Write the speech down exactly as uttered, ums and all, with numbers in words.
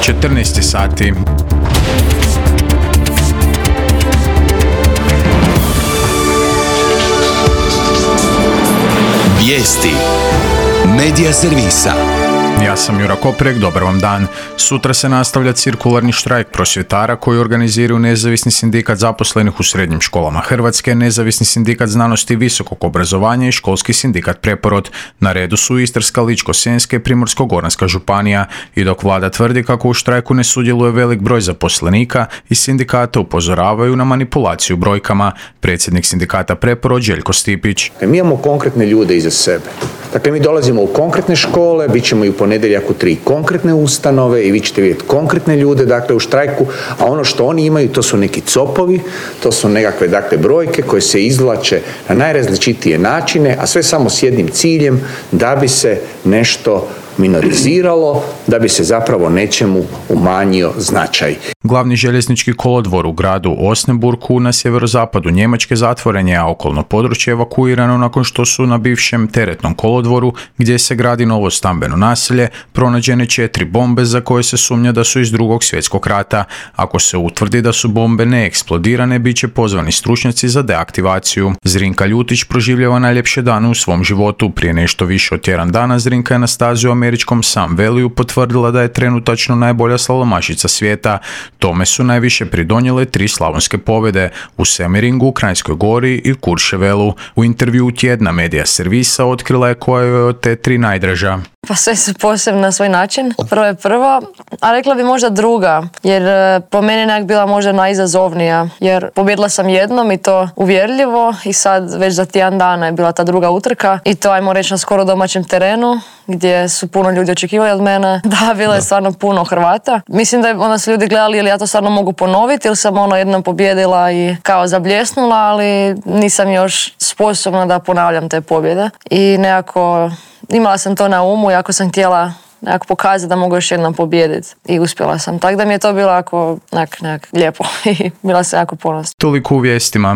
četrnaest sati. Vijesti Medija servisa. Ja sam Jura Koprek, dobar vam dan. Sutra se nastavlja cirkularni štrajk prosvjetara koji organiziraju Nezavisni sindikat zaposlenih u srednjim školama Hrvatske, Nezavisni sindikat znanosti i visokog obrazovanja i Školski sindikat Preporod. Na redu su Istarska, Ličko-senjska i Primorsko-goranska županija. I dok vlada tvrdi kako u štrajku ne sudjeluje velik broj zaposlenika, i sindikata upozoravaju na manipulaciju brojkama. Predsjednik sindikata Preporod Željko Stipić. Mi imamo konkretne ljude iza sebe. Dakle, mi dolazimo u konkretne škole, bit ćemo i u ponedjeljak u tri konkretne ustanove i vi ćete vidjeti konkretne ljude, dakle, u štrajku, a ono što oni imaju, to su neki copovi, to su nekakve, dakle, brojke koje se izvlače na najrazličitije načine, a sve samo s jednim ciljem, da bi se nešto minoriziralo, da bi se zapravo nečemu umanjio značaj. Glavni željeznički kolodvor u gradu Osnaburgu na sjeverozapadu Njemačke zatvoren je, a okolno područje evakuirano nakon što su na bivšem teretnom kolodvoru, gdje se gradi novo stambeno naselje, pronađene četiri bombe za koje se sumnja da su iz Drugog svjetskog rata. Ako se utvrdi da su bombe neeksplodirane, bit će pozvani stručnjaci za deaktivaciju. Zrinka Ljutić proživljava najljepše dane u svom životu. Prije nešto više od tjedan dana Zrinka je na stazi u američkom Sun Valleyu potvrdila da je trenutačno najbolja slalomašica svijeta. Tome su najviše pridonijele tri slavonske pobjede u Semmeringu, Kranjskoj Gori i Kurševelu. U intervjuu tjedna Medija servisa otkrila je koja je od te tri najdraža. Pa sve su posebno na svoj način. Prvo je prva, a rekla bi možda druga, jer po meni nekak bila možda najizazovnija, jer pobjedila sam jednom i to uvjerljivo i sad već za tjedan dana je bila ta druga utrka i to ajmo reći na skoro domaćem terenu gdje su puno ljudi očekivali od mene. Da, bilo je stvarno puno Hrvata. Mislim da je onda su ljudi gledali ili ja to stvarno mogu ponoviti ili sam ono jednom pobjedila i kao zabljesnula, ali nisam još sposobna da ponavljam te pobjede i nekako imala sam to na umu, jako sam htjela nekako pokazati da mogu još jednom pobijediti i uspjela sam. Tako da mi je to bilo jako nekak, nekak lijepo i bila sam jako ponosna. Toliko u vijestima.